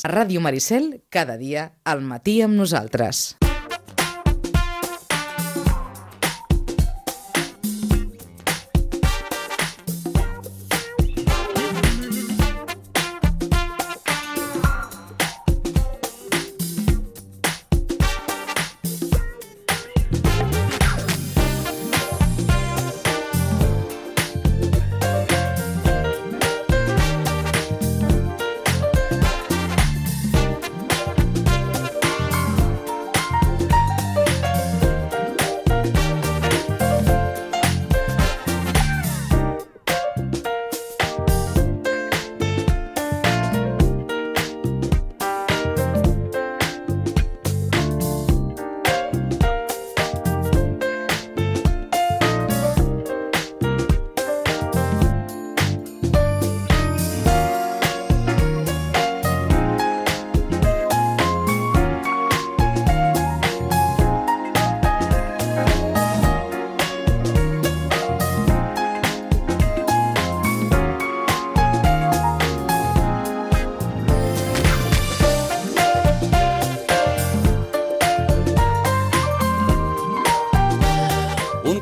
A Ràdio Maricel, cada dia al matí amb nosaltres.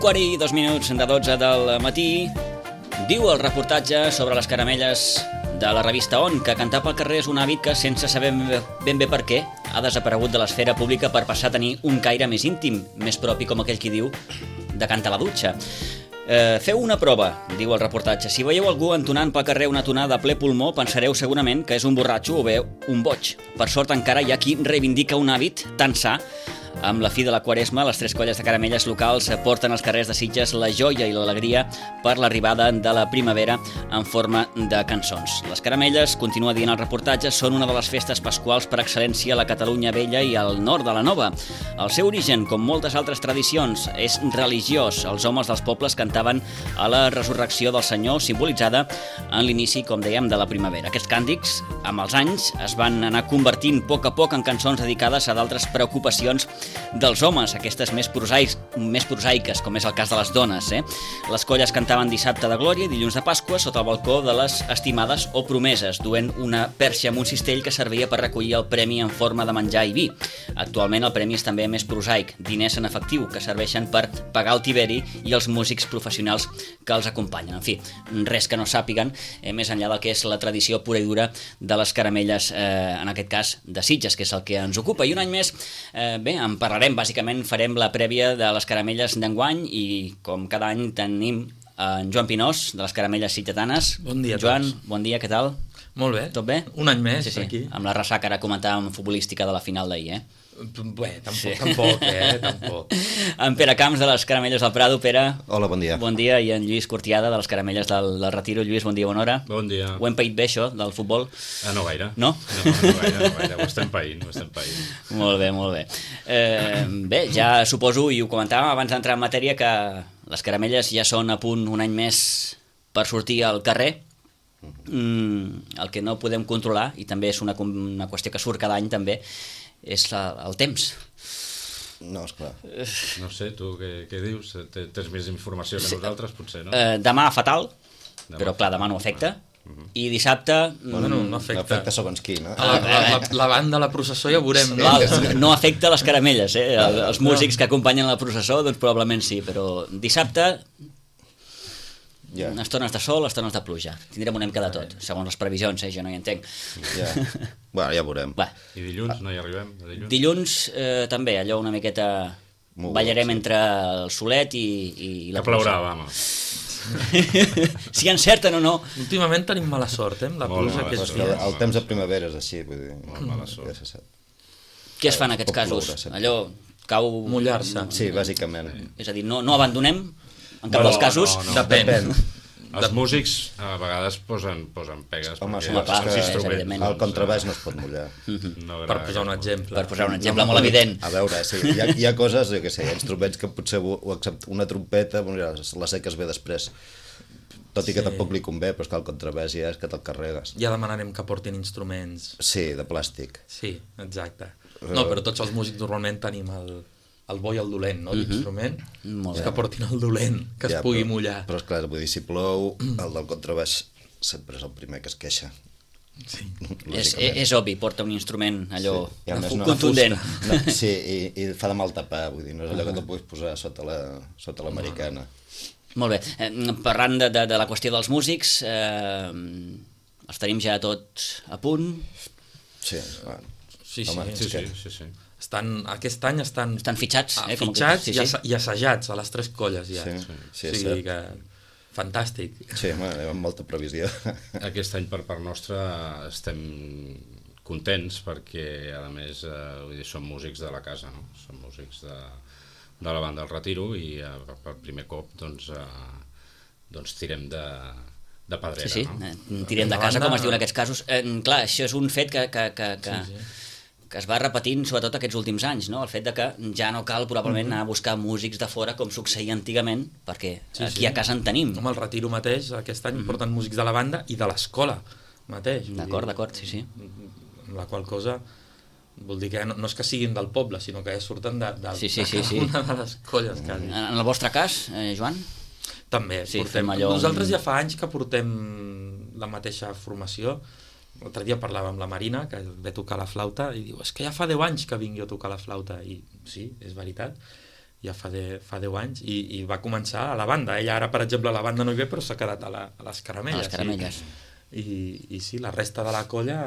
Quart i 2 minuts de 12 del matí. Diu el reportatge sobre les caramelles de la revista On que cantar pel carrer és un hàbit que, sense saber ben bé per què, ha desaparegut de l'esfera pública per passar a tenir un caire més íntim, més propi, com aquell qui diu, de cantar a la dutxa. Feu una prova, diu el reportatge. Si veieu algú entonant pel carrer una tonada a ple pulmó, pensareu segurament que és un borratxo o bé un boig. Per sort encara hi ha qui reivindica un hàbit tan sa. Amb la fi de la Quaresma, les 3 colles de caramelles locals porten als carrers de Sitges la joia i l'alegria per l'arribada de la primavera en forma de cançons. Les caramelles, continua dient el reportatge, són una de les festes pasquals per excel·lència a la Catalunya vella i al nord de la Nova. El seu origen, com moltes altres tradicions, és religiós. Els homes dels pobles cantaven a la resurrecció del Senyor, simbolitzada en l'inici, com dèiem, de la primavera. Aquests càntics, amb els anys, es van anar convertint a poc en cançons dedicades a d'altres preocupacions dels homes, aquestes més prosaiques, com és el cas de les dones. Les colles cantaven dissabte de Glòria i dilluns de Pasqua sota el balcó de les estimades o promeses, duent una perxa amb un cistell que servia per recollir el premi en forma de menjar i vi. Actualment el premi és també més prosaic, diners en efectiu, que serveixen per pagar el tiberi i els músics professionals que els acompanyen. En fi, res que no sàpiguen, més enllà del que és la tradició pura i dura de les caramelles, en aquest cas de Sitges, que és el que ens ocupa. I un any més, en parlarem, bàsicament farem la prèvia de les caramelles d'enguany i com cada any tenim en Joan Pinós, de les caramelles sitgetanes. Bon dia a Joan, tots. bon dia, què tal? Molt bé. Tot bé? Un any més, sí. aquí. Amb la ressaca ara comentàvem futbolística de la final d'ahir, Bé, tampoc. En Pere Camps, de les caramelles del Prado. Pere. Hola, bon dia. Bon dia. I en Lluís Cortiada, de les caramelles del Retiro. Lluís, bon dia, bona hora. Bon dia. Ho hem paït bé, això, del futbol? No gaire. No? No gaire. Ho estem païnt. Molt bé. Bé, ja suposo, i ho comentàvem abans d'entrar en matèria, que les caramelles ja són a punt un any més per sortir al carrer. El que no podem controlar, i també és una qüestió que surt cada any també, és el temps. No, esclar. No sé, tu què dius? Tens més informació que nosaltres, potser, no? Demà fatal, però clar, demà no afecta. I dissabte... Bueno, no afecta. No afecta segons qui, no? La banda de la processó ja veurem. No afecta les caramelles, els músics que acompanyen la processó, doncs probablement sí, però dissabte... Estones de sol, estones de pluja. Tindrem una mica de tot, segons les previsions, jo no hi entenc. Bueno, ja veurem. I dilluns no hi arribem? Dilluns també, allò una miqueta... Ballarem entre el solet i la que plourà, vamos. Si encerten o no. Últimament tenim mala sort, amb la pluja que és dia. El temps de primavera és així, vull dir... Molt mala sort. Què es fa en aquests casos? Allò cau... Mullar-se. Sí, bàsicament. És a dir, no abandonem en cap dels casos. Depèn. Els músics a vegades posen pegues. Home, evidentment. el contrabaix no es pot mullar. Per posar un exemple. Per posar un exemple molt evident. A veure, sí, hi ha coses, jo què sé, instruments que potser una trompeta, la seques bé després. Tot i que tampoc li convé, però és que el contrabaix ja és que te'l carregues. Ja demanarem que portin instruments. Sí, de plàstic. Sí, exacte. No, però tots els músics normalment tenim el bo i el dolent, no? L'instrument és que portin el dolent, que es pugui mullar. Però esclar, vull dir, si plou, el del contrabaix sempre és el primer que es queixa. Sí. És obvi, porta un instrument allò I a més contundent. Sí, i fa de mal tapar, vull dir, no és allò que te'l puguis posar sota l'americana. Molt bé. Parlant de la qüestió dels músics, els tenim ja tots a punt. Sí, bueno. Sí. Aquest any estan fitxats, fitxats i assajats a les 3 colles ja. Sí, o sigui que fantàstic. Sí, amb molta previsió. Aquest any per part nostra estem contents perquè a més som músics de la casa, no? Som músics de la banda del Retiro i per primer cop doncs tirem de pedrera. Sí, tirem de casa, com es diu en aquests casos. Clar, això és un fet que es va repetint sobretot aquests últims anys, no? El fet de que ja no cal probablement anar a buscar músics de fora com succeïa antigament, perquè aquí a casa en tenim. Com el Retiro mateix, aquest any porten músics de la banda i de l'escola mateix. D'acord, sí. Amb la qual cosa vol dir que no és que siguin del poble, sinó que ja surten de una de les colles. En el vostre cas, Joan? També, nosaltres ja fa anys que portem la mateixa formació. L'altre dia parlava amb la Marina, que ve tocar la flauta, i diu, és que ja fa 10 anys que vinc jo a tocar la flauta. I sí, és veritat, ja fa 10 anys, i va començar a la banda. Ella ara, per exemple, a la banda no hi ve, però s'ha quedat a les caramelles. A les caramelles. I sí, la resta de la colla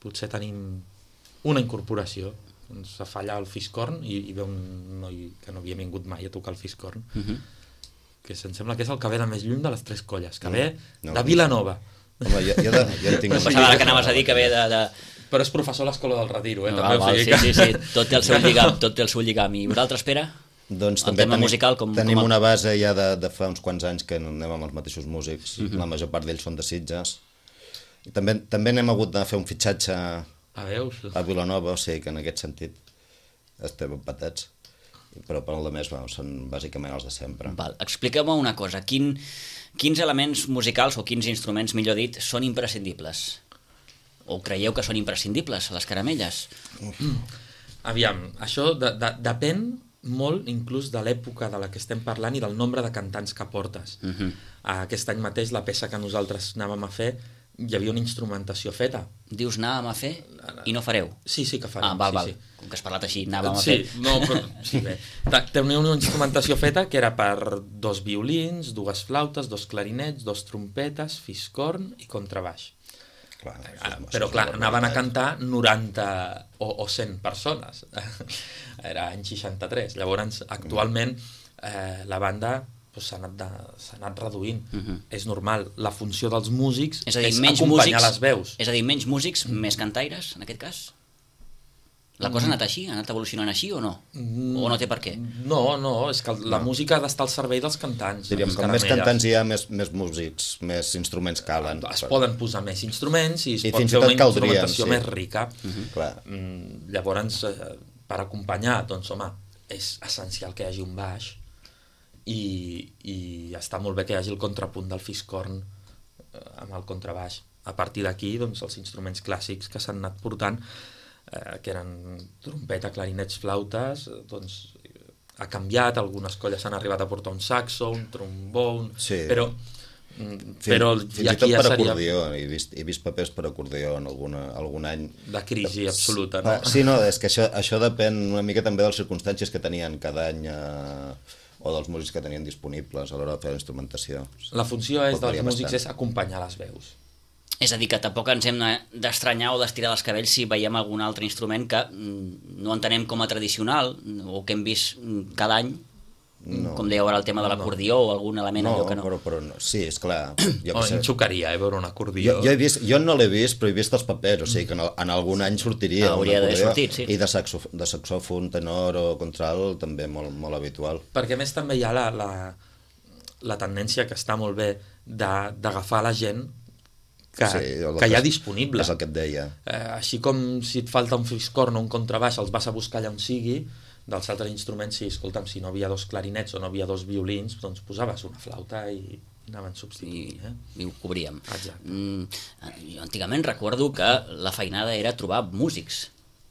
potser tenim una incorporació. Ens fa allà el fiscorn i ve un noi que no havia vingut mai a tocar el fiscorn, que em sembla que és el que ve de més lluny de les 3 colles, que ve de Vilanova. Home, jo en tinc... Pensava que anaves a dir que ve de... Però és professor a l'Escola del Retiro, Sí, tot té el seu lligam. I vosaltres, Pere? Doncs també tenim una base ja de fa uns quants anys que anem amb els mateixos músics, la major part d'ells són de Sitges. I també n'hem hagut de fer un fitxatge a Vilanova, o sigui que en aquest sentit estem empatats. Però per la més són bàsicament els de sempre. Expliqueu-me una cosa, quins elements musicals o quins instruments, millor dit, són imprescindibles? O creieu que són imprescindibles a les caramelles? Aviam, això depèn molt inclús de l'època de la que estem parlant i del nombre de cantants que portes. Aquest any mateix la peça que nosaltres anàvem a fer hi havia una instrumentació feta. Dius anàvem a fer i no fareu? Sí que farem. Val. Com que has parlat així, anàvem a fer. Bé. Tenia una instrumentació feta que era per 2 violins, 2 flautes, 2 clarinets, 2 trompetes, fiscorn i contrabaix. Però clar, anaven a cantar 90 o 100 persones. Era any 63. Llavors, actualment, la banda s'ha anat reduint. És normal. La funció dels músics és acompanyar les veus. És a dir, menys músics, més cantaires, en aquest cas? La cosa ha anat així? Ha anat evolucionant així o no? O no té per què? No, és que la música ha d'estar al servei dels cantants. Diríem, com més cantants hi ha, més músics, més instruments calen. Es poden posar més instruments i es pot fer una instrumentació més rica. Llavors, per acompanyar, doncs, home, és essencial que hi hagi un baix i està molt bé que hi hagi el contrapunt del fiscorn amb el contrabaix. A partir d'aquí, doncs, els instruments clàssics que s'han anat portant, que eren trompeta, clarinets, flautes, doncs ha canviat, algunes colles han arribat a portar un saxo, un trombó, però fins i tot per acordió, he vist papers per acordió en algun any. De crisi absoluta, no? Sí, no, és que això depèn una mica també de les circumstàncies que tenien cada any o dels músics que tenien disponibles a l'hora de fer la instrumentació. La funció dels músics és acompanyar les veus. És a dir, que tampoc ens hem d'estranyar o d'estirar dels cabells si veiem algun altre instrument que no entenem com a tradicional o que hem vist cada any, com dèieu ara el tema de l'acordió o algun element allò que no. Però sí, esclar. Em xocaria, veure un acordió. Jo no l'he vist, però he vist els papers, o sigui que en algun any sortiria hauria d'haver sortit, sí. I de saxòfon, tenor o contralt també molt habitual. Perquè a més també hi ha la tendència que està molt bé d'agafar la gent que hi ha disponible. És el que et deia. Així com si et falta un fiscorn o un contrabaix els vas a buscar allà on sigui, dels altres instruments, escolta'm, si no havia 2 clarinets o no havia 2 violins, doncs posaves una flauta i anaven substituint. I ho cobríem. Exacte. Jo antigament recordo que la feinada era trobar músics.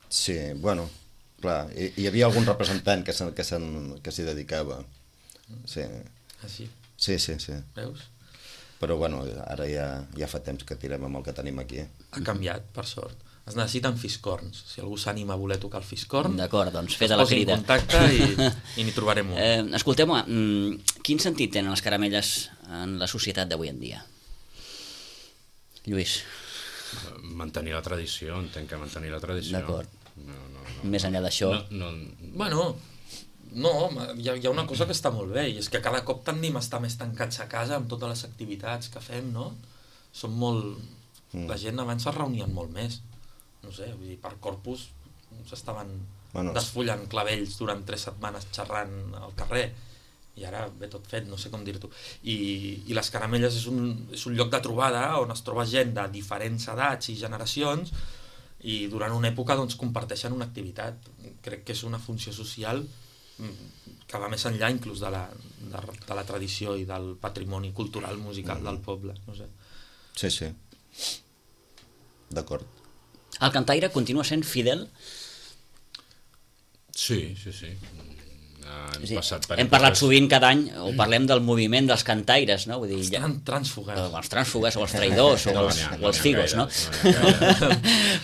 Sí, bueno, clar, hi havia algun representant que s'hi dedicava. Sí. Així? Sí. Veus? Però bueno, ara ja fa temps que tirem amb el que tenim aquí. Ha canviat, per sort. Es necessiten fiscorns. Si algú s'anima a voler tocar el fiscorn, d'acord, doncs fes la crida. Es posi en contacte i n'hi trobarem un. Escolteu-me, quin sentit tenen les caramelles en la societat d'avui en dia? Lluís. Mantenir la tradició, entenc que mantenir la tradició. D'acord. Més enllà d'això... Bueno, no, hi ha una cosa que està molt bé, i és que cada cop tendim a estar més tancats a casa amb totes les activitats que fem, no? Som molt... La gent abans es reunien molt més. No sé, vull dir, per Corpus s'estaven desfullant clavells durant 3 setmanes xerrant al carrer, i ara ve tot fet, no sé com dir-t'ho. I les caramelles és un lloc de trobada on es troba gent de diferents edats i generacions, i durant una època doncs comparteixen una activitat. Crec que és una funció social que va més enllà inclús de la tradició i del patrimoni cultural musical del poble, no sé. Sí. D'acord. El cantaire continua sent fidel? Sí. Hem parlat sovint cada any, o parlem del moviment dels cantaires, no? Vull dir, els trànsfugues. Els trànsfugues, o els traïdors, o els figos, no?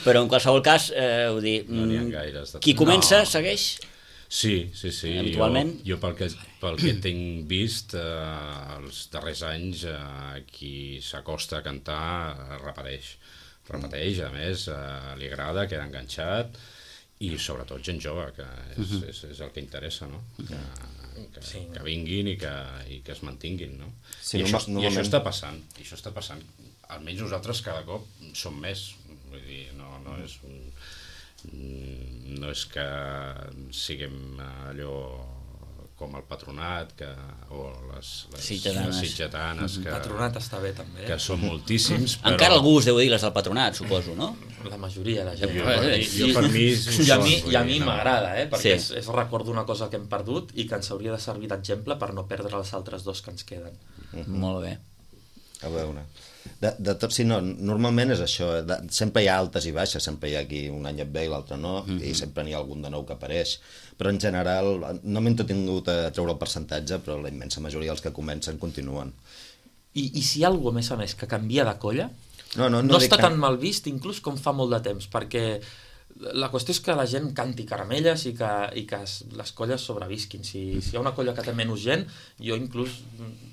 Però en qualsevol cas, vull dir, qui comença segueix? Sí. Habitualment? Jo pel que tinc vist, els darrers anys, qui s'acosta a cantar repeteix, a més, li agrada, queda enganxat, i sobretot gent jove, que és el que interessa, no? Que vinguin i que es mantinguin, no? I això està passant, almenys nosaltres cada cop som més, vull dir, no és que siguem allò com el Patronat o les sitgetanes el Patronat està bé també, que són moltíssims, però... Encara algú us deu dir les del Patronat, suposo, no? La majoria de gent. Jo per mi i a mi m'agrada, perquè és record d'una cosa que hem perdut i que ens hauria de servir d'exemple per no perdre els altres dos que ens queden. Molt bé. A veure, de tot si no, normalment és això, sempre hi ha altes i baixes, sempre hi ha qui un any et ve i l'altre no, i sempre n'hi ha algun de nou que apareix, però en general no m'he entretingut a treure el percentatge, però la immensa majoria dels que comencen continuen. I si hi ha algú, a més, que canvia de colla, no està tan mal vist, inclús com fa molt de temps, perquè la qüestió és que la gent canti caramelles i que les colles sobrevisquin. Si hi ha una colla que té menys gent, jo inclús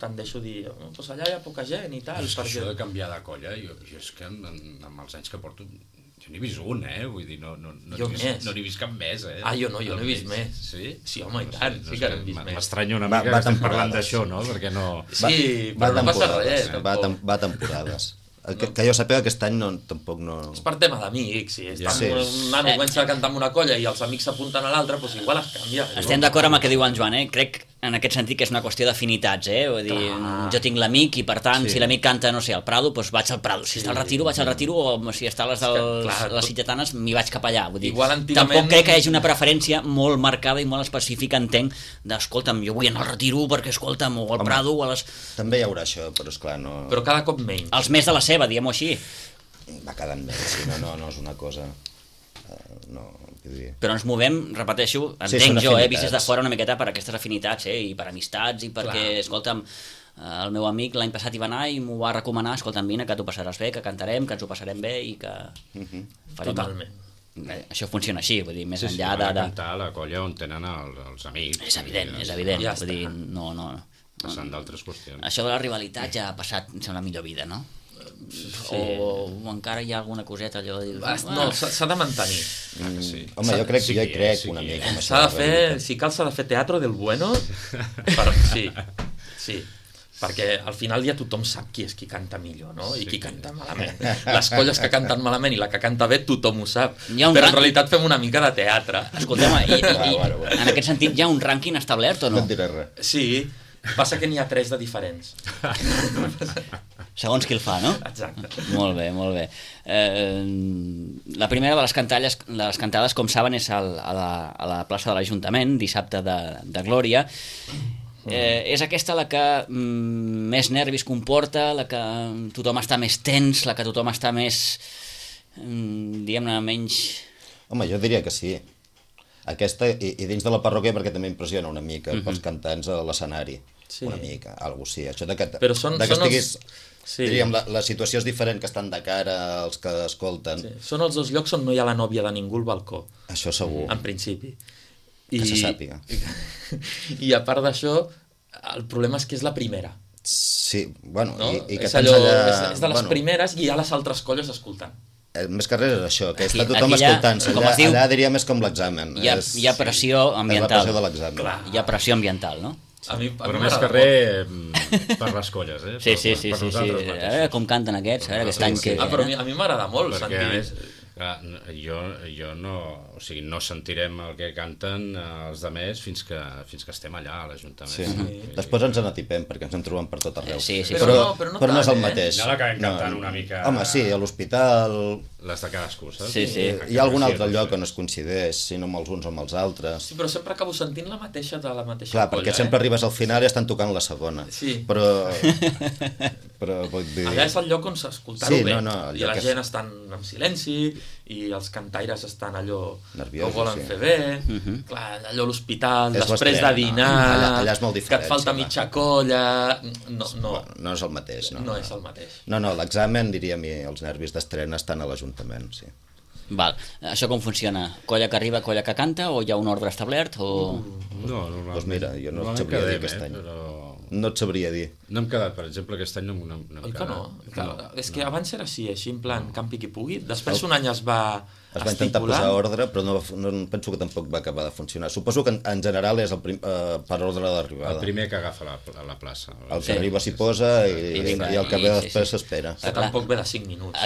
tendeixo a dir doncs allà hi ha poca gent i tal. Això de canviar de colla, jo és que amb els anys que porto jo n'he vist un, vull dir, no n'he vist cap més, jo no he vist més. Sí, home, i tant, sí que n'he vist més. M'estranya una mica que estem parlant d'això, no? Perquè no... Sí, però no passa res. Va temporades. Que jo sàpiga aquest any tampoc no... És per tema d'amics, si un nano comença a cantar amb una colla i els amics s'apunten a l'altre, doncs igual es canvia. Estem d'acord amb el que diu en Joan, Crec en aquest sentit que és una qüestió d'afinitats, Vull dir, jo tinc l'amic i per tant, si l'amic canta, no sé, al Prado, doncs vaig al Prado. Si està al Retiro, vaig al Retiro, o si està a les sitgetanes, m'hi vaig cap allà. Vull dir, tampoc crec que hi hagi una preferència molt marcada i molt específica, entenc, d'escolta'm, jo vull anar al Retiro perquè, escolta'm, o al Prado, o a les... També hi haurà això, però esclar, no... Però cada cop menys. Els més de la seva, diguem-ho així. Va quedant menys, no és una cosa... Però ens movem, repeteixo, entenc jo, vist des de fora una miqueta per aquestes afinitats, i per amistats, i perquè, escolta'm, el meu amic l'any passat hi va anar i m'ho va recomanar, escolta'm, vine, que t'ho passaràs bé, que cantarem, que ens ho passarem bé i que... Totalment. Això funciona així, vull dir, més enllà de... cantar a la colla on tenen els amics. És evident, vull dir, no... Passant d'altres qüestions. Això de la rivalitat ja ha passat, sembla, millor vida, no? O encara hi ha alguna coseta allò de dir... No, s'ha de mantenir. Home, jo crec una mica. S'ha de fer, si cal s'ha de fer teatro del bueno. Sí, perquè al final ja tothom sap qui és qui canta millor, no? I qui canta malament. Les colles que canten malament i la que canta bé tothom ho sap, però en realitat fem una mica de teatre. Escoltem, en aquest sentit hi ha un rànquing establert o no? No et diré res. Sí, passa que n'hi ha 3 de diferents. Segons qui el fa, no? Exacte. Molt bé, molt bé. La primera de les cantades, com saben, és a la plaça de l'Ajuntament, dissabte de Glòria. És aquesta la que més nervis comporta, la que tothom està més tens, la que tothom està més, diguem-ne, menys... Home, jo diria que sí. Aquesta, i dins de la parròquia, perquè també impressiona una mica pels cantants a l'escenari. una mica, alguna cosa així. Això de que són estiguis... Diríem, la situació és diferent, que estan de cara als que escolten. Són els dos llocs on no hi ha la nòvia de ningú al balcó. Això segur. En principi. Que se sàpiga. I a part d'això, el problema és que és la primera. Sí, bueno, no? i que és allò, és de les primeres i hi ha les altres colles escoltant. Més que res és això, que està tothom escoltant-se. Allà diria més com l'examen. Hi ha pressió ambiental. És la pressió de l'examen. Hi ha pressió ambiental, no? Però més que res per les colles, eh? Sí. Com canten aquests, aquest any que... Però a mi m'agrada molt sentir... Jo no... O sigui, no sentirem el que canten els demés fins que estem allà a l'Ajuntament. Sí. Després ens n'atipem, perquè ens en trobem per tot arreu. Però no és el mateix. No l'acabem cantant una mica... Home, sí, a l'hospital... Les de cadascú, saps? Sí. Hi ha algun altre lloc on es coincideix, si no amb els uns o amb els altres. Sí, però sempre acabo sentint la mateixa de la mateixa colla. Clar, perquè sempre arribes al final i estan tocant la segona. Sí. Però vull dir... Allà és el lloc on s'escoltar-ho bé. I la gent estan en silenci i els cantaires estan allò nerviosos, que volen fer bé. Clar, allò a l'hospital, després de dinar, allà és molt diferent, que et falta mitja colla... No és el mateix. No és el mateix. No, l'examen, diríem, i els nervis d'estrena estan a l'Ajuntament, sí. Val. Això com funciona? Colla que arriba, colla que canta, o hi ha un ordre establert? O... No, doncs mira, jo no et sabria dir aquest any. No et sabria dir. No hem quedat, per exemple, aquest any no hem quedat. No? És que abans era així, en plan campi qui pugui. Després un any es va intentar posar ordre, però no penso que tampoc va acabar de funcionar. Suposo que en general és per ordre d'arribada. El primer que agafa la plaça. El que arriba s'hi posa i el que ve després s'espera. Que tampoc ve de 5 minuts.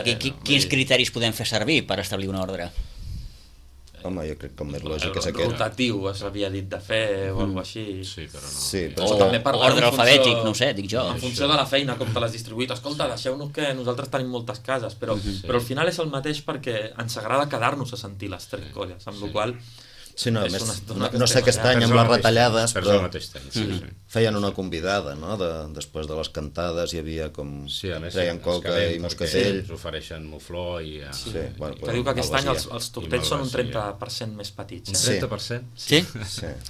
Quins criteris podem fer servir per establir un ordre? Home, jo crec que el més lògic és aquest. Rotatiu s'havia dit de fer o alguna així. Sí, però no. Sí, però també ordre alfabètic, no sé, dic jo. En funció de la feina, com te l'has distribuït. Escolta, deixeu-nos que nosaltres tenim moltes cases, però al final és el mateix perquè ens agrada quedar-nos a sentir les 3 colles, amb la qual cosa... Sí, no, no sé aquest any amb les retallades, però feien una convidada, no? Després de les cantades hi havia com... treien coca i moscatell. Ens ofereixen mufló i... Que diu que aquest any els tortells són un 30% més petits. Un 30%? Sí?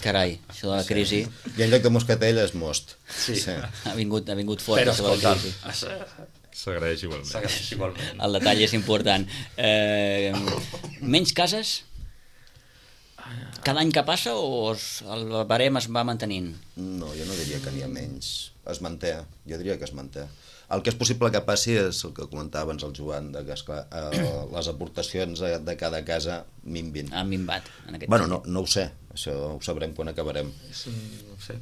Carai, això de la crisi... I en lloc de moscatell és most. Ha vingut fort. Però escolta, s'agraeix igualment. El detall és important. Menys cases? Cada any que passa o el barem es va mantenint? No, jo no diria que n'hi ha menys. Es manté, jo diria que es manté. El que és possible que passi és el que comentava abans el Joan, que esclar, les aportacions de cada casa minvin. Han minvat. Bueno, no ho sé, això ho sabrem quan acabarem. No ho sé.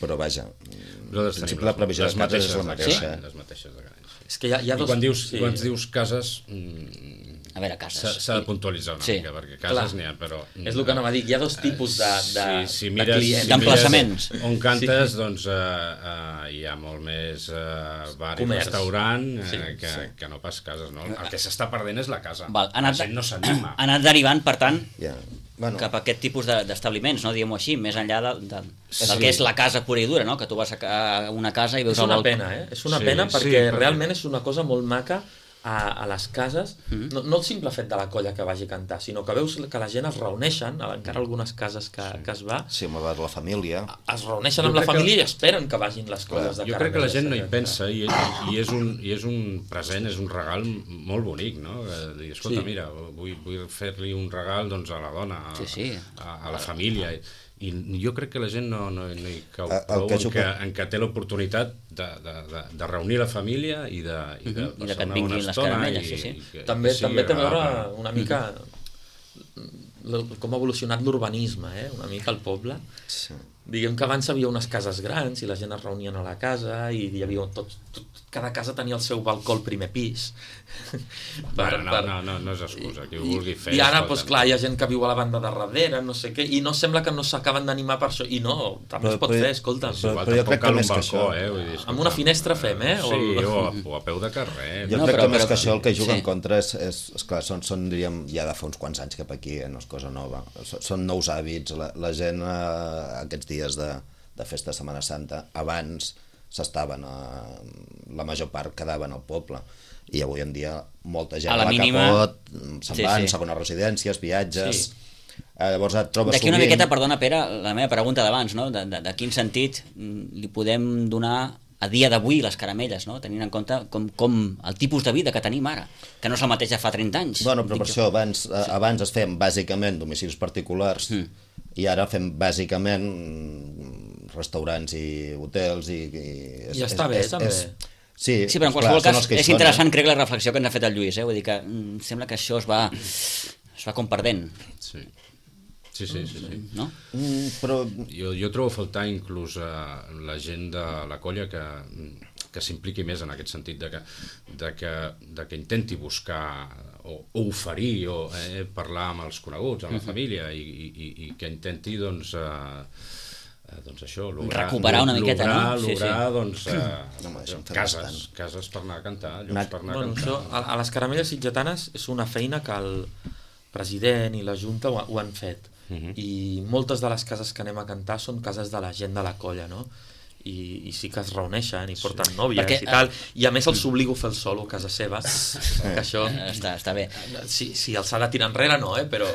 Però vaja, en principi la previsió de cases és la mateixa. Les mateixes de cada any. És que hi ha dos... I quan dius cases... A veure, cases... S'ha de puntualitzar una mica, perquè cases n'hi ha, però... És el que anava a dir, hi ha dos tipus de clients. D'emplaçaments. On cantes, doncs hi ha molt més bar i restaurant que no pas cases, no? El que s'està perdent és la casa. La gent no s'anima. Ha anat derivant, per tant, cap a aquest tipus d'establiments, no? Diguem-ho així, més enllà del que és la casa pura i dura, no? Que tu vas a una casa i veus el balcó. És una pena, És una pena perquè realment és una cosa molt maca a les cases, no el simple fet de la colla que vagi a cantar, sinó que veus que la gent es reuneixen, encara algunes cases que es va... Sí, amb la família. Es reuneixen amb la família i esperen que vagin les colles de caramelles. Jo crec que la gent no hi pensa i és un present, és un regal molt bonic, no? Dir, escolta, mira, vull fer-li un regal a la dona, a la família... I jo crec que la gent no hi cau prou en que té l'oportunitat de reunir la família i de que et vinguin les caramelles. També té a veure una mica com ha evolucionat l'urbanisme, una mica al poble. Diguem que abans hi havia unes cases grans i la gent es reunien a la casa i hi havia cada casa tenia el seu balcó al primer pis. No és excusa, qui ho vulgui fer. I ara, doncs clar, hi ha gent que viu a la banda de darrere, no sé què, i no sembla que no s'acaben d'animar per això. I no, també es pot fer, escolta'm. Però jo crec que més que això... Amb una finestra fem, Sí, o a peu de carrer. Jo crec que més que això el que juga en contra és clar, són, diríem, ja de fa uns quants anys cap aquí, no és cosa nova. Són nous hàbits, la gent aquests dies de festa de Setmana Santa, abans s'estaven, la major part quedaven al poble, i avui en dia molta gent a la que pot se'n van, segones residències, viatges, Llavors et trobes d'aquí una miqueta, perdona Pere, la meva pregunta d'abans, no? De quin sentit li podem donar a dia d'avui les caramelles, no? Tenint en compte com el tipus de vida que tenim ara, que no és el mateix de fa 30 anys. Bueno, però per això abans es feien bàsicament domicilis particulars i ara fem bàsicament restaurants i hotels i està bé, també. Sí, però en qualsevol cas és interessant, crec, la reflexió que ens ha fet el Lluís, vull dir que sembla que això es va com perdent. Sí. No? Però jo trobo a faltar inclús la gent de la colla que s'impliqui més en aquest sentit de que intenti buscar o oferir o parlar amb els coneguts, amb la família i que intenti doncs això, recuperar una miqueta, cases per anar a cantar, llocs per anar a cantar. Això, a les caramelles sitgetanes és una feina que el president i la Junta ho han fet, i moltes de les cases que anem a cantar són cases de la gent de la colla, no? I sí que es reuneixen i porten nòvies i tal, i a més els obligo a fer el solo a casa seva, que això està bé. Si els ha de tirar enrere no, però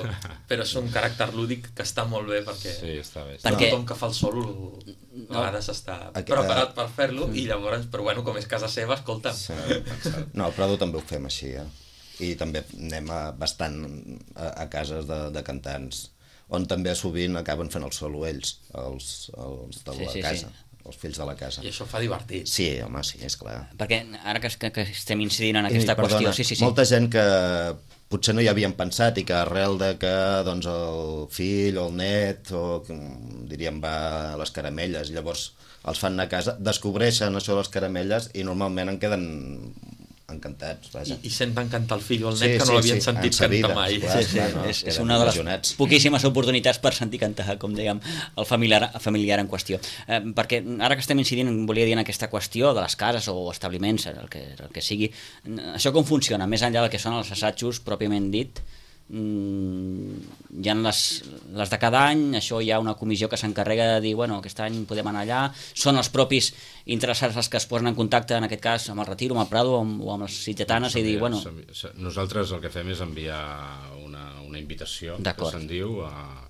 és un caràcter lúdic que està molt bé perquè tothom que fa el solo a vegades està preparat per fer-lo i llavors, però bueno, com és casa seva, escolta'm. No, però també ho fem així, i també anem bastant a cases de cantants on també sovint acaben fent el solo ells, els de la casa, els fills de la casa. I això fa divertit. Sí, home, sí, esclar. Perquè ara que estem incidint en aquesta qüestió... Molta gent que potser no hi havien pensat i que arrel de que doncs, el fill o el net diríem va a les caramelles, llavors els fan anar a casa, descobreixen això de les caramelles i normalment en queden encantats, vaja. I senten cantar el fill o el net que no l'havien sentit cantar mai. És una de les poquíssimes oportunitats per sentir cantar, com dèiem, el familiar en qüestió. Perquè ara que estem incidint, volia dir en aquesta qüestió de les cases o establiments, el que sigui, això com funciona? Més enllà del que són els assajos pròpiament dit, hi ha les de cada any, això hi ha una comissió que s'encarrega de dir, bueno, aquest any podem anar allà, són els propis interessats els que es posen en contacte, en aquest cas amb el Retiro, amb el Prado o amb les sitgetanes i dir, bueno... Nosaltres el que fem és enviar una invitació, que se'n diu, a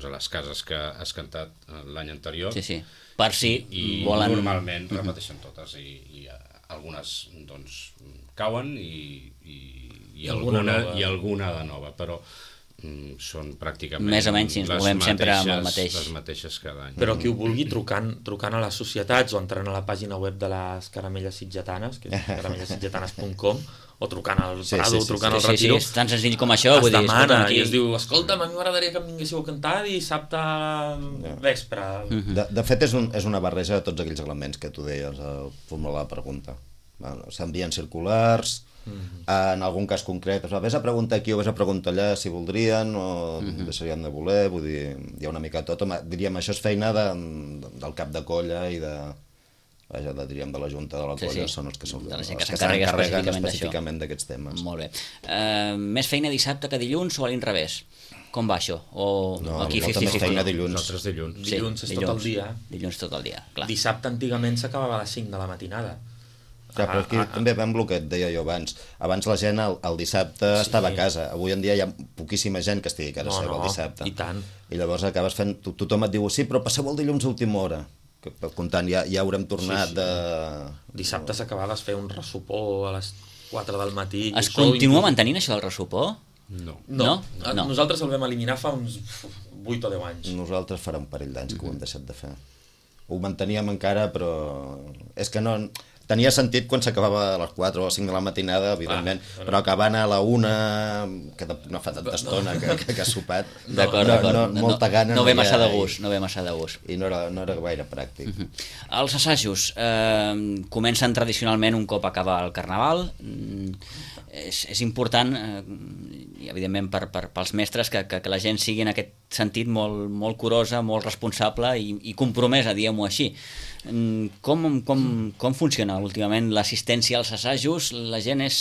les cases que has cantat l'any anterior. Sí, per si volen... Normalment repeteixen totes i algunes doncs cauen i alguna de nova, però són pràcticament més o menys, si ens movem sempre amb el mateix. Les mateixes cada any. Però qui ho vulgui trucant a les societats o entrant a la pàgina web de les caramelles sitgetanes, que és caramellessitgetanes.com, o trucant al Prado, trucant al Retiro. Sí, és tan senzill com això. Es demana i es diu, escolta'm, a mi m'agradaria que em vinguéssiu a cantar dissabte vespre. De fet, és una barreja de tots aquells elements que tu deies al formular la pregunta. S'envien circulars, en algun cas concret vés a preguntar aquí o vés a preguntar allà si voldrien o deixarien de voler, vull dir, hi ha una mica tot. Diríem, això és feina del cap de colla i de la junta de la colla, són els que s'encarreguen específicament d'aquests temes. Molt bé. Més feina dissabte que dilluns o a l'inrevés? Com va això? No, molta més feina dilluns. Nosaltres dilluns. Dilluns és tot el dia. Dilluns tot el dia, clar. Dissabte antigament s'acabava a les 5 de la matinada. Clar, però aquí també va amb el que et deia jo abans. Abans la gent el dissabte estava a casa. Avui en dia hi ha poquíssima gent que estigui a casa seva el dissabte. I tant. I llavors acabes fent... Tothom et diu, sí, però passeu el dilluns a última hora. Comptant, ja haurem tornat de... Dissabte s'acabava de fer un ressopó a les 4 del matí. Es continua mantenint això del ressopó? No. Nosaltres el vam eliminar fa uns 8 o 10 anys. Nosaltres farà un parell d'anys que ho hem deixat de fer. Ho manteníem encara, però... És que no... Tenia sentit quan s'acabava a les 4 o 5 de la matinada, evidentment, però acabant a la 1, que no fa tanta estona que ha sopat, molta gana. No ve massa de gust, I no era gaire pràctic. Els assajos comencen tradicionalment un cop acaba el Carnaval. És important, i evidentment pels mestres, que la gent sigui en aquest sentit molt curosa, molt responsable i compromesa, diguem-ho així. Com funciona últimament l'assistència als assajos? La gent és,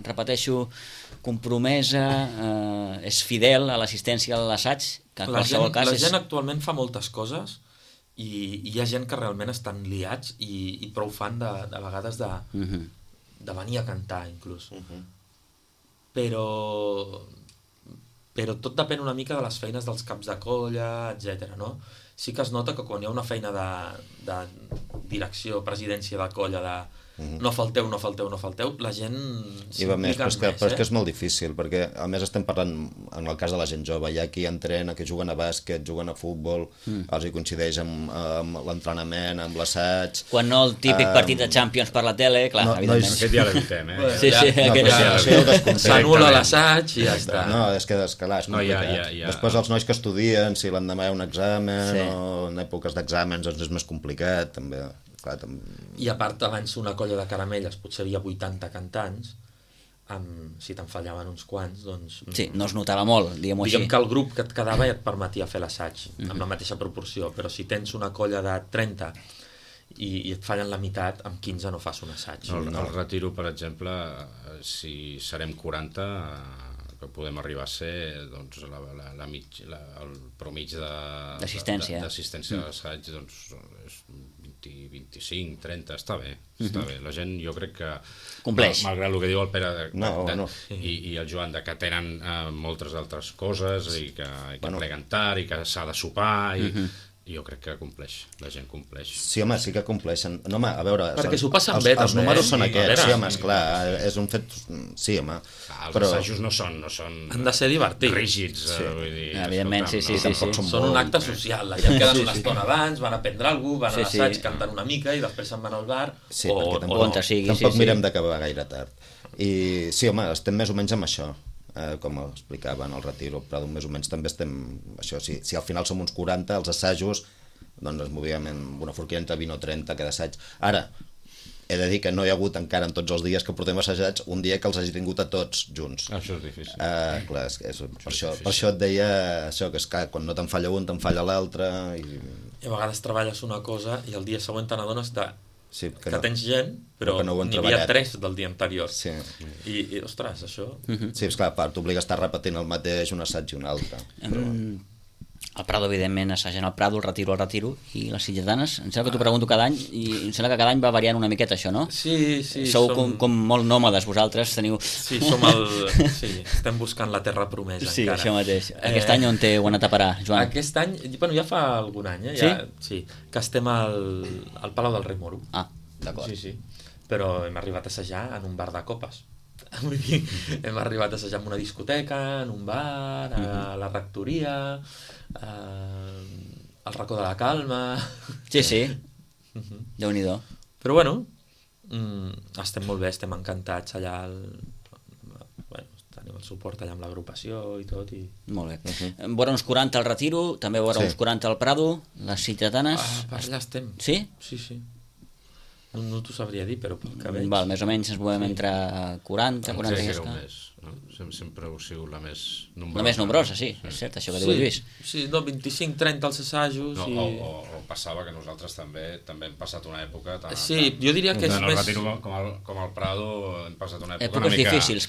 repeteixo, compromesa, és fidel a l'assistència a l'assaig? La gent actualment fa moltes coses i hi ha gent que realment estan liats i prou fan de vegades de venir a cantar inclús. Però però tot depèn una mica de les feines dels caps de colla, etc. No? Sí que es nota que quan hi ha una feina de direcció, presidència de colla, de no falteu, la gent s'implica més. Però és que és molt difícil, perquè a més estem parlant, en el cas de la gent jove, hi ha qui entrena, que juguen a bàsquet, juguen a futbol, els hi coincideix amb l'entrenament, amb l'assaig... Quan no el típic partit de Champions per la tele, clar, evidentment. Aquest ja l'evitem, S'anul·la l'assaig i ja està. No, és que d'escalar és complicat. Després els nois que estudien, si l'endemà hi ha un examen o en èpoques d'exàmens doncs és més complicat, també. I a part, abans una colla de caramelles potser hi havia 80 cantants, si te'n fallaven uns quants, doncs... Sí, no es notava molt, diguem-ho així. Diguem que el grup que et quedava ja et permetia fer l'assaig, amb la mateixa proporció, però si tens una colla de 30 i et fallen la meitat, amb 15 no fas un assaig. El retiro, per exemple, si serem 40... que podem arribar a ser doncs, el promig d'assistència a l'assaig doncs, és 20, 25, 30, està bé, la gent jo crec que compleix, malgrat el que diu el Pere i el Joan, que tenen moltes altres coses i que pleguen tard i que s'ha de sopar i jo crec que compleix, la gent compleix. Sí, home, sí que compleixen. No, home, a veure... Perquè s'ho passen bé, també. Els números són aquests, sí, home, esclar, és un fet... Sí, home. Els assajos no són... Han de ser divertits. Rígids, vull dir... Evidentment, sí. Són un acte social, la gent queden una estona abans, van a prendre alguna cosa, van a l'assaig, canten una mica i després se'n van al bar, o no. Tampoc mirem d'acabar gaire tard. I sí, home, estem més o menys amb això. Com explicava en el retiro, però més o menys també estem... Això, si al final som uns 40, els assajos, doncs ens movíem amb una forquilla entre 20 o 30 cada assaig. Ara, he de dir que no hi ha hagut encara en tots els dies que portem assajats un dia que els hagi tingut a tots junts. Això és difícil. Clar, per això et deia això, que és que quan no te'n falla un, te'n falla l'altre... I a vegades treballes una cosa i el dia següent te n'adones que tens gent, però no n'hi havia 3 del dia anterior. Sí. I ostres, això... Sí, esclar, t'obliga a estar repetint el mateix un assaig i un altre. El Prado, evidentment, assagen el Prado, el retiro i les Sitgetanes. Em sembla que t'ho pregunto cada any i em sembla que cada any va variant una miqueta això, no? Sí. Sou com molt nòmades vosaltres, teniu... Sí, estem buscant la terra promesa encara. Sí, això mateix. Aquest any on ho heu anat a parar, Joan? Aquest any, ja fa algun any, Sí, que estem al Palau del Rei Moro. Ah, d'acord. Sí, però hem arribat a assajar en un bar de copes. Vull dir, hem arribat a assajar en una discoteca, en un bar, a la rectoria, al racó de la Calma... Sí. Déu-n'hi-do. Però bueno, estem molt bé, estem encantats allà, tenim el suport allà amb l'agrupació i tot. Molt bé. Vora uns 40 al Retiro, també vora uns 40 al Prado, les Sitgetanes... Per allà estem. Sí? Sí. No t'ho sabria dir, però pel que veig... Més o menys ens movem entre 40 i esca. Sempre heu sigut la més nombrosa. La més nombrosa, sí, és cert, això que diu el Lluís. Sí, 25-30 als assajos... O passava que nosaltres també hem passat una època... Sí, jo diria que és més... Com al Prado hem passat una època una mica... difícils.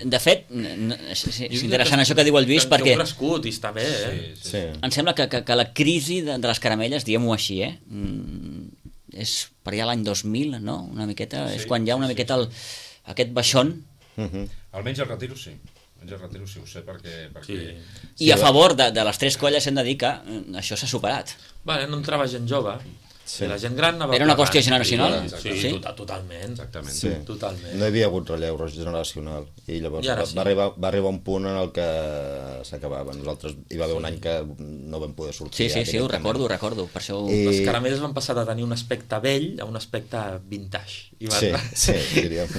De fet, és interessant això que diu el Lluís, perquè... Heu crescut i està bé, Sí. Em sembla que la crisi de les caramelles, diguem-ho així, és per allà l'any 2000, no? Una miqueta, és quan hi ha una miqueta aquest baixón. Almenys el Retiro sí. Ho sé perquè... I a favor de les 3 colles hem de dir que això s'ha superat. No entrava gent jove. La gent gran anava... Era una qüestió generacional? Sí, totalment. Exactament. Sí. Totalment. No hi havia hagut relleu generacional i llavors va arribar un punt en el que s'acabava. Nosaltres hi va haver un any que no vam poder sortir. Sí, ho recordo. Per això... Les caramelles van passar de tenir un aspecte vell a un aspecte vintage. Sí, diríem.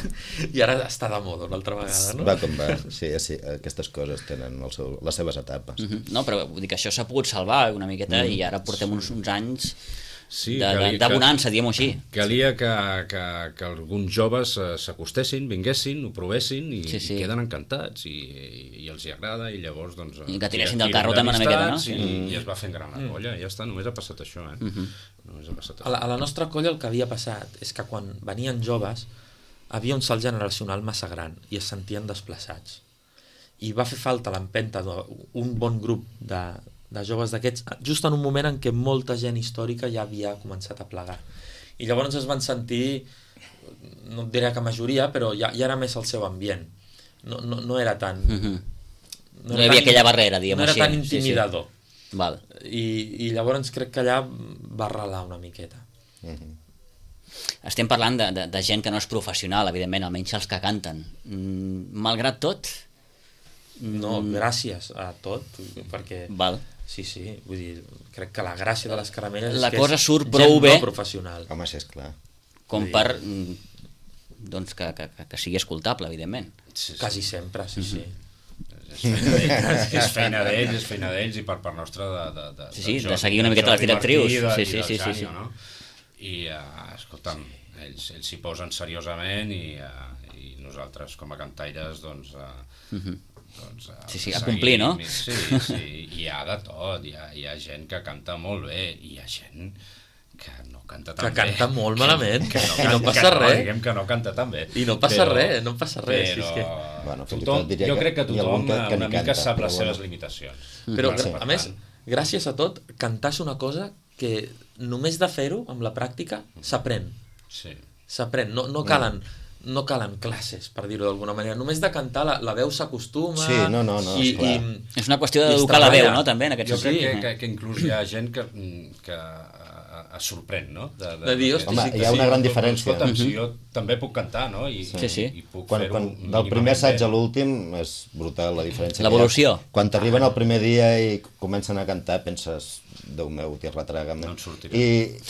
I ara està de moda una altra vegada, no? Va com va. Sí, aquestes coses tenen les seves etapes. No, però vull dir que això s'ha pogut salvar una miqueta i ara portem uns anys... Sí, de bonança, diguem-ho així. Calia que alguns joves s'acostessin, vinguessin, ho provessin i queden encantats i els hi agrada i llavors doncs... I que tiressin del carro també una miqueta, no? I es va fent gran la colla, ja està, només ha passat això, Només ha passat això. A la nostra colla el que havia passat és que quan venien joves havia un salt generacional massa gran i es sentien desplaçats. I va fer falta l'empenta d'un bon grup de joves d'aquests, just en un moment en què molta gent històrica ja havia començat a plegar. I llavors es van sentir, no et diré que majoria, però ja era més el seu ambient. No era tan... No hi havia aquella barrera, diguem així. No era tan intimidador. Val. I llavors crec que allà va arrelar una miqueta. Estem parlant de gent que no és professional, evidentment, almenys els que canten. Malgrat tot... No, gràcies a tot, perquè... Val. Sí, vull dir, crec que la gràcia de les caramelles la és que cosa és surt prou gent bé no professional. Home, sí, esclar. Com per doncs que sigui escoltable, evidentment. Quasi sempre, sí. És feina d'ells i per part nostra de seguir una miqueta les directrius. Sí. No? I, escolta'm, ells s'hi posen seriosament i nosaltres com a cantaires doncs a complir, no? Sí, hi ha de tot, hi ha gent que canta molt bé i hi ha gent que no canta tan bé. Que canta molt malament, i no passa res. Diguem que no canta tan bé. I no passa res, Però jo crec que tothom una mica sap les seves limitacions. Però, a més, gràcies a tot, cantar és una cosa que només de fer-ho, amb la pràctica, s'aprèn. Sí. S'aprèn, no calen classes, per dir-ho d'alguna manera. Només de cantar la veu s'acostuma... Sí, no, esclar. És una qüestió d'educar la veu, no?, també, en aquest sentit. Jo crec que inclús hi ha gent que es sorprèn, no? De dir, home, hi ha una gran diferència. Escolta'm, si jo també puc cantar, no? I puc fer-ho... Del primer assaig a l'últim és brutal la diferència. L'evolució. Quan t'arriben el primer dia i comencen a cantar, penses, Déu meu, t'hi retraga. No en sortirà. I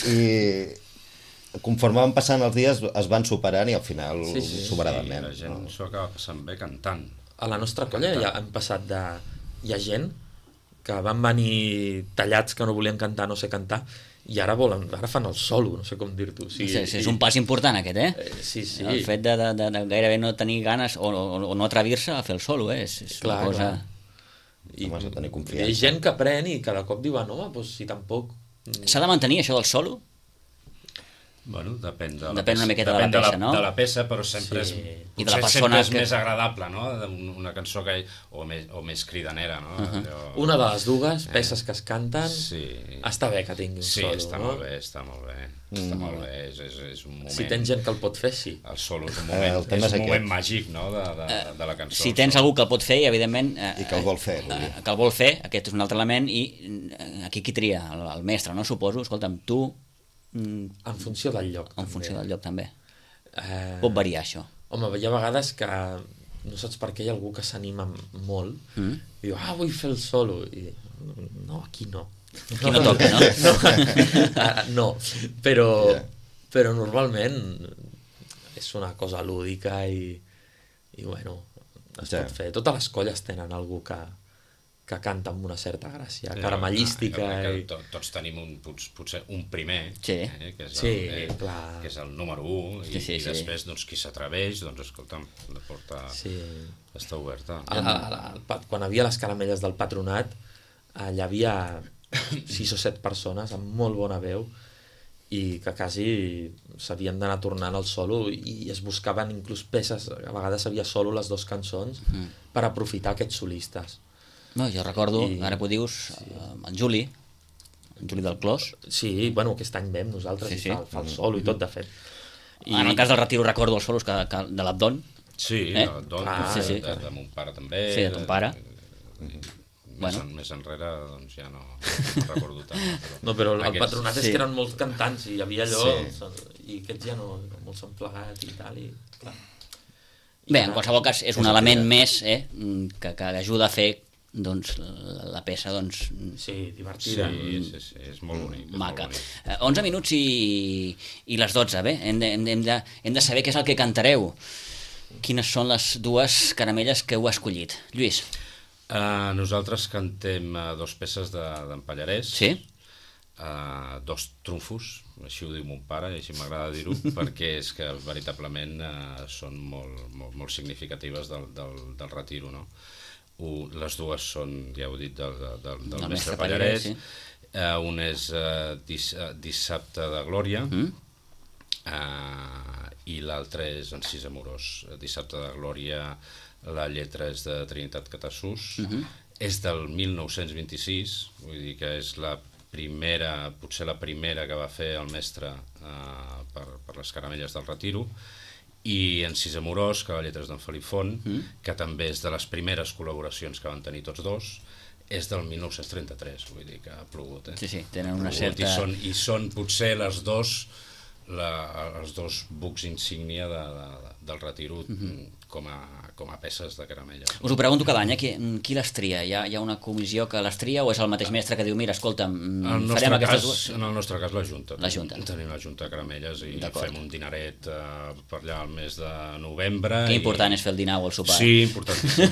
conforme van passant els dies es van superant i al final superadament. La gent s'ho acaba passant bé cantant. A la nostra colla ja han passat de... Hi ha gent que van venir tallats que no volien cantar, no sé cantar, i ara fan el solo, no sé com dir-t'ho. És un pas important aquest, Sí. El fet de gairebé no tenir ganes o no atrevir-se a fer el solo, és una cosa... I hi ha gent que aprèn i cada cop diu, home, doncs si tampoc... S'ha de mantenir això del solo? Bueno, depèn una miqueta de la peça, no? De la peça, però sempre és... I de la persona és més agradable, no? Una cançó que... O més cridanera, no? Una de les dues peces que es canten està bé que tingui un solo, no? Sí, està molt bé. Està molt bé, és un moment... Si tens gent que el pot fer, sí. El solo és un moment màgic, no?, de la cançó. Si tens algú que el pot fer, i evidentment... I que el vol fer. Que el vol fer, aquest és un altre element, i aquí qui tria? El mestre, no? Suposo, escolta'm, tu... En funció del lloc. En funció del lloc, també. Pot variar, això. Home, hi ha vegades que no saps per què hi ha algú que s'anima molt i diu, vull fer el solo. I no, aquí no. Aquí no toca, no? No, però normalment és una cosa lúdica i bueno, es pot fer. Totes les colles tenen algú que canta amb una certa gràcia, caramellística. Tots tenim potser un primer, que és el número 1, i després qui s'atreveix, doncs escolta'm, la porta està oberta. Quan hi havia les caramelles del patronat, hi havia 6 o 7 persones amb molt bona veu i que quasi s'havien d'anar tornant al solo i es buscaven inclús peces, a vegades havia solo les 2 cançons per aprofitar aquests solistes. No, jo recordo, ara que ho dius, en Juli del Clos. Sí, bueno, aquest any vam nosaltres i fa el solo i tot, de fet. En el cas del Retiro recordo els solos de l'Abdon. Sí, l'Abdon, de mon pare també. Sí, de ton pare. Més enrere doncs ja no recordo tant. No, però el patronat és que eren molts cantants i hi havia allò, i aquests ja no, molts s'han plegat i tal, i clar. Bé, en qualsevol cas és un element més que ajuda a fer doncs la peça divertida, sí, és molt bonic, maca. 11 minuts i les 12, bé, hem de saber què és el que cantareu. Quines són les 2 caramelles que heu escollit? Lluís. Nosaltres cantem 2 peces d'en Pallarès, 2 trumfos, així ho diu mon pare i així m'agrada dir-ho, perquè és que veritablement són molt significatives del Retiro, no? Les 2 són, ja ho he dit, del mestre Pallarès. Un és Dissabte de Glòria i l'altre és Encís Amorós. Dissabte de Glòria, la lletra és de Trinitat Catassús, és del 1926, vull dir que és potser la primera que va fer el mestre per les caramelles del Retiro, i Encís amorós, que la lletra és d'en Felip Font, que també és de les primeres col·laboracions que van tenir tots dos, és del 1933, vull dir que ha plogut. Sí, tenen una certa... I són potser els dos bucs insígnia del Retiro com a peces de caramella. Us ho pregunto cada any, qui les tria? Hi ha una comissió que les tria o és el mateix mestre que diu, mira, escolta'm, farem aquestes dues? En el nostre cas, la Junta. La Junta. Tenim la Junta de caramelles i fem un dineret per allà al mes de novembre. Que important és fer el dinar o el sopar. Sí, importantíssim.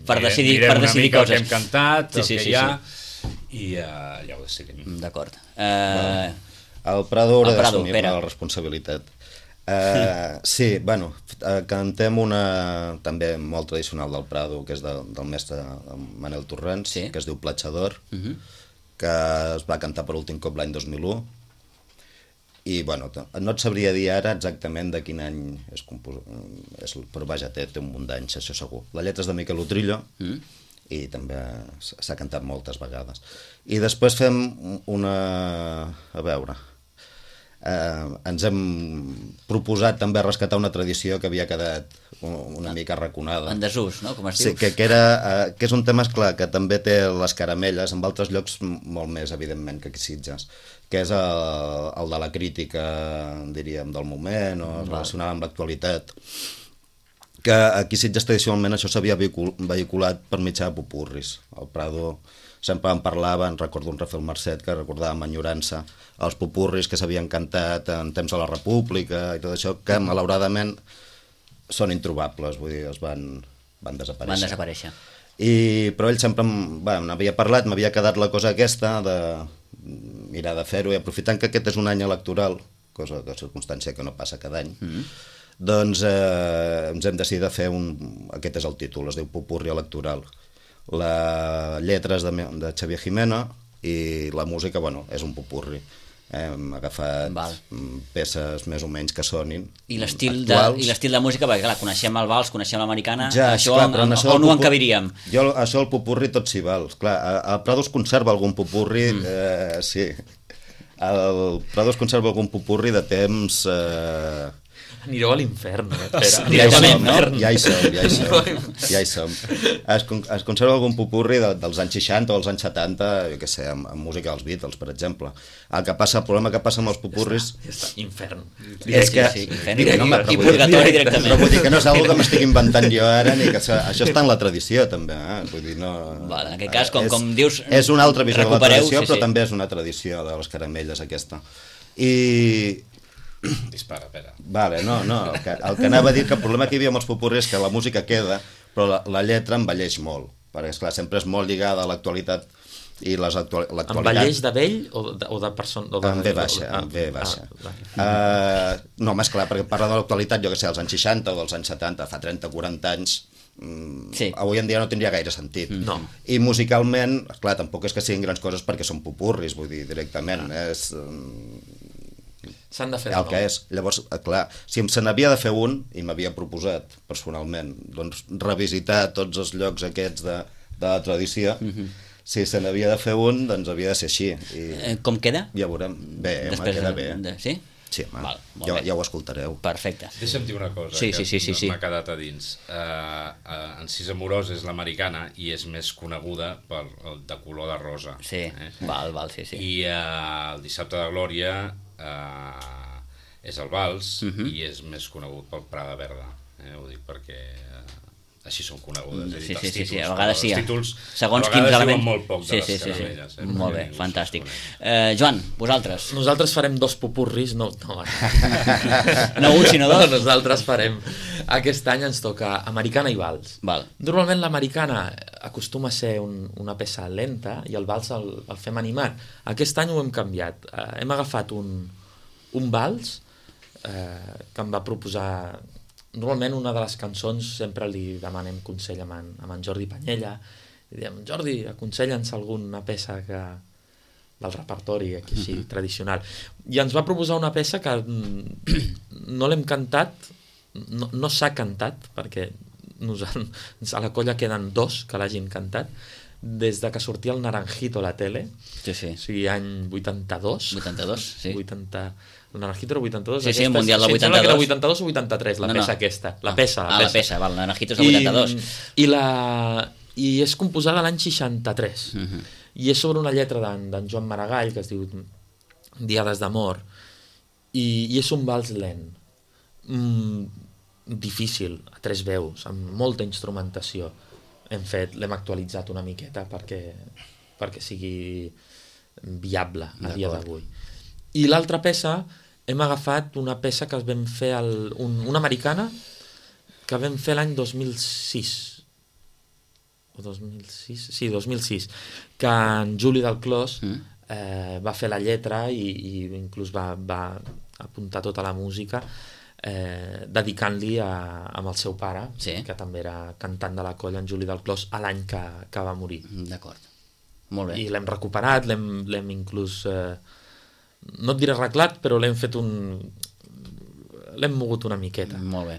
Per decidir mirem una mica coses. El que hem cantat, el que hi ha, i ja ho decidim. D'acord. El Prado haurà d'assumir la responsabilitat. Sí, bueno, cantem una també molt tradicional del Prado, que és del mestre Manel Torrents, que es diu Platxador, que es va cantar per últim cop l'any 2001, i bueno, no et sabria dir ara exactament de quin any és però vaja, té un munt d'anys, això segur. La lletra és de Miquel Utrillo, i també s'ha cantat moltes vegades. I després fem una... a veure... ens hem proposat també rescatar una tradició que havia quedat una mica arraconada. En desús, no? Com es diu? Sí, que és un tema, esclar, que també té les caramelles, en altres llocs molt més, evidentment, que aquí Sitges, que és el de la crítica, diríem, del moment, o relacionada amb l'actualitat. Que aquí Sitges tradicionalment això s'havia vehiculat per mitjà de popurris. El Prado sempre en parlava, recordo un Rafael Marcet que recordava amb enyorança els popurris que s'havien cantat en temps de la República i tot això, que malauradament són introbables, vull dir, els van desaparèixer. Van desaparèixer. Però ell sempre m'havia parlat, m'havia quedat la cosa aquesta de mirar de fer-ho, i aprofitant que aquest és un any electoral, cosa de circumstància que no passa cada any, doncs ens hem decidit de fer aquest és el títol, es diu Popurri electoral. La lletra és de Xavier Jimeno i la música, bueno, és un popurri. Hem agafat peces més o menys que sonin I l'estil de música, perquè clar, coneixem el vals, coneixem l'americana, això on ho encabiríem? Jo, això el popurri tot s'hi val. Clar, el Prado es conserva algun popurri, sí. El Prado es conserva algun popurri de temps... Anireu a l'infern, directament, no? Ja hi som. Es conserva algun popurri dels anys 60 o dels anys 70, jo què sé, amb música dels Beatles, per exemple. El problema que passa amb els popurris... Ja està, infern. És que... I purgatori directament. Però vull dir que no és una que m'estic inventant jo ara, ni que això està en la tradició, també. Vull dir, no... En aquest cas, com dius... És una altra visió de la tradició, però també és una tradició de les caramelles, aquesta. I... Dispara, Pere. Vale, no, el que anava a dir que el problema que hi havia amb els popurris és que la música queda, però la lletra envelleix molt, perquè esclar, sempre és molt lligada a l'actualitat i l'actualitat... Envelleix de vell o de persona? En V baixa. No, més clar, perquè parla de l'actualitat, jo que sé, als anys 60 o dels anys 70, fa 30-40 anys, avui en dia no tindria gaire sentit. I musicalment, esclar, tampoc és que siguin grans coses perquè són popurris, vull dir, directament, és... S'han de fer el que és. Llavors, clar, si se n'havia de fer un, i m'havia proposat personalment, doncs revisiter tots els llocs aquests de la tradició, si se n'havia de fer un, doncs havia de ser així. Com queda? Ja veurem. Bé, queda bé. Sí? Sí, ja ho escoltareu. Perfecte. Deixa'm dir una cosa que m'ha quedat a dins. Encís amorós és l'americana i és més coneguda de color de rosa. Sí, sí. I el Dissabte de Glòria és el vals i és més conegut pel Prada Verda. Ho dic perquè així són conegudes. Sí, a vegades sí. Els títols segons quins elements... molt poc de les caramelles. Molt bé, fantàstic. Joan, vosaltres? Nosaltres farem 2 popurris, no un, sinó 2? Nosaltres farem... Aquest any ens toca americana i vals. Normalment l'americana acostuma a ser una peça lenta i el vals el fem animat. Aquest any ho hem canviat. Hem agafat un vals que em va proposar... Normalment una de les cançons sempre li demanem consell amb en Jordi Panyella. Li diem, Jordi, aconsella'ns alguna peça del repertori aquí així tradicional. I ens va proposar una peça que no l'hem cantat, no s'ha cantat, perquè a la colla queden 2 que l'hagin cantat, des de que sortia el Naranjito a la tele, o sigui, any 82. 82, sí. El Naranjito era 82. Sí, el Mundial del 82. Em sembla que era 82 o 83, la peça aquesta. La peça. La peça, val, el Naranjito és del 82. I és composada l'any 63. I és sobre una lletra d'en Joan Maragall, que es diu Diades d'amor, i és un vals lent. Difícil, a 3 veus, amb molta instrumentació. L'hem actualitzat una miqueta perquè sigui viable a dia d'avui. I l'altra peça, hem agafat una peça que vam fer, una americana, que vam fer l'any 2006. O 2006? Sí, 2006. Que en Juli del Clos va fer la lletra i inclús va apuntar tota la música, dedicant-li amb el seu pare, que també era cantant de la colla, en Juli del Clos, a l'any que va morir. D'acord, molt bé. I l'hem recuperat, l'hem inclús, no et diré arreglat, però l'hem fet l'hem mogut una miqueta. Molt bé.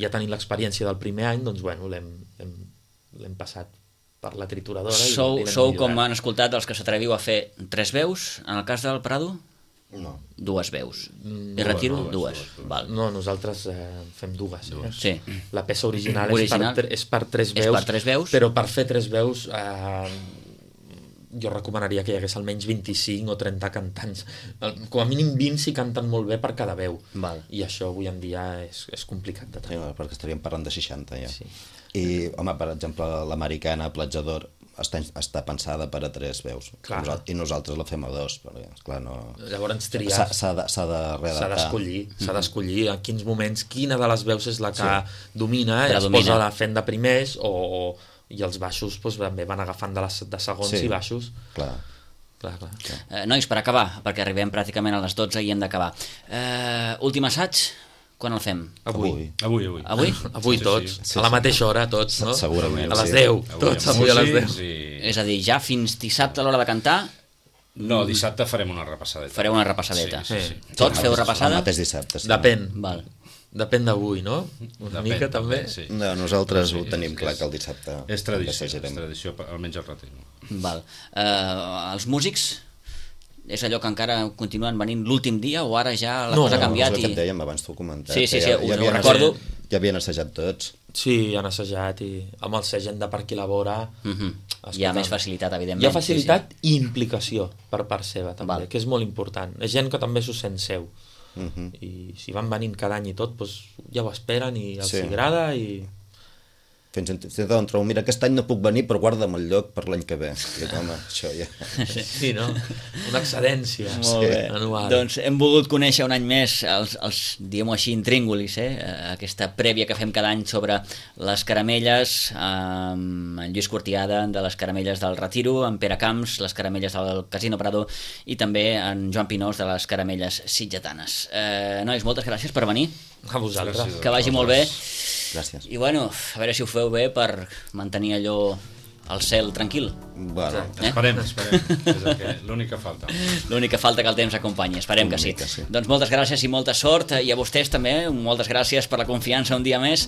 Ja tenint l'experiència del primer any, doncs bueno, l'hem passat per la trituradora. Sou, com han escoltat, els que s'atreviu a fer 3 veus, en el cas del Prado? No. 2 veus. I retiro 2. Val. No, nosaltres fem 2. Sí. La peça original és per 3 veus. És per 3 veus. Però per fer 3 veus jo recomanaria que hi hagués almenys 25 o 30 cantants. Com a mínim 20 si canten molt bé per cada veu. Val. I això avui en dia és complicat de tenir. Sí, perquè estaríem parlant de 60 ja. Sí. I, home, per exemple, l'americana Platjador està pensada per a 3 veus. Clar. I nosaltres la fem a 2, perquè, esclar, no... Llavors triar... S'ha de redactar. S'ha d'escollir en quins moments, quina de les veus és la que domina, es posa la fent de primers, i els baixos també van agafant de segons i baixos. Clar. Nois, per acabar, perquè arribem pràcticament a les 12 i hem d'acabar. Últim assaig, quan el fem? Avui. Avui tots, a la mateixa hora, tots, no? Segurament. A les 10, tots avui a les 10. És a dir, ja fins dissabte a l'hora de cantar... No, dissabte farem una repassadeta. Fareu una repassadeta. Sí. Tots feu repassada? El mateix dissabte, sí. Depèn d'avui, no? Una mica també. No, nosaltres ho tenim clar que el dissabte... És tradició, almenys el retiro. Val. Els músics... És allò que encara continuen venint l'últim dia o ara ja la cosa ha canviat? No, és el que et dèiem, abans t'ho he comentat. Sí, ho recordo. Ja havien assajat tots. Sí, han assajat i amb el segent de per qui labora... Hi ha més facilitat, evidentment. Hi ha facilitat i implicació per part seva, també, que és molt important. És gent que també s'ho sent seu. I si van venint cada any i tot, ja ho esperen i els agrada i... Fins on trobo, mira, aquest any no puc venir, però guarda'm el lloc per l'any que ve. I, home, això ja... Sí, no? Una excedència anual. Doncs hem volgut conèixer un any més els diguem-ho així, intríngulis, aquesta prèvia que fem cada any sobre les caramelles, amb en Lluís Cortiada, de les caramelles del Retiro, en Pere Camps, les caramelles del Casino Prado, i també en Joan Pinós, de les caramelles sitgetanes. Nois, moltes gràcies per venir. A vosaltres. Que vagi molt bé. Gràcies. I bueno, a veure si ho feu bé per mantenir allò al cel tranquil. Bueno, esperem. És l'únic que falta. L'únic que falta que el temps acompanyi, esperem que sí. Doncs moltes gràcies i molta sort, i a vostès també, moltes gràcies per la confiança un dia més.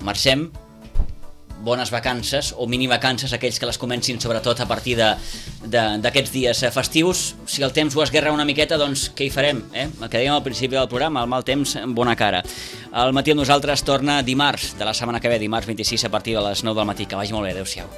Marxem. Bones vacances, o minivacances, aquells que les comencin sobretot a partir d'aquests dies festius. Si el temps ho esguerra una miqueta, doncs què hi farem? El que dèiem al principi del programa, el mal temps en bona cara. El matí amb nosaltres torna dimarts de la setmana que ve, dimarts 26 a partir de les 9 del matí. Que vagi molt bé, adeu-siau.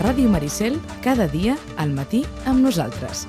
Ràdio Maricel, cada dia al matí amb nosaltres.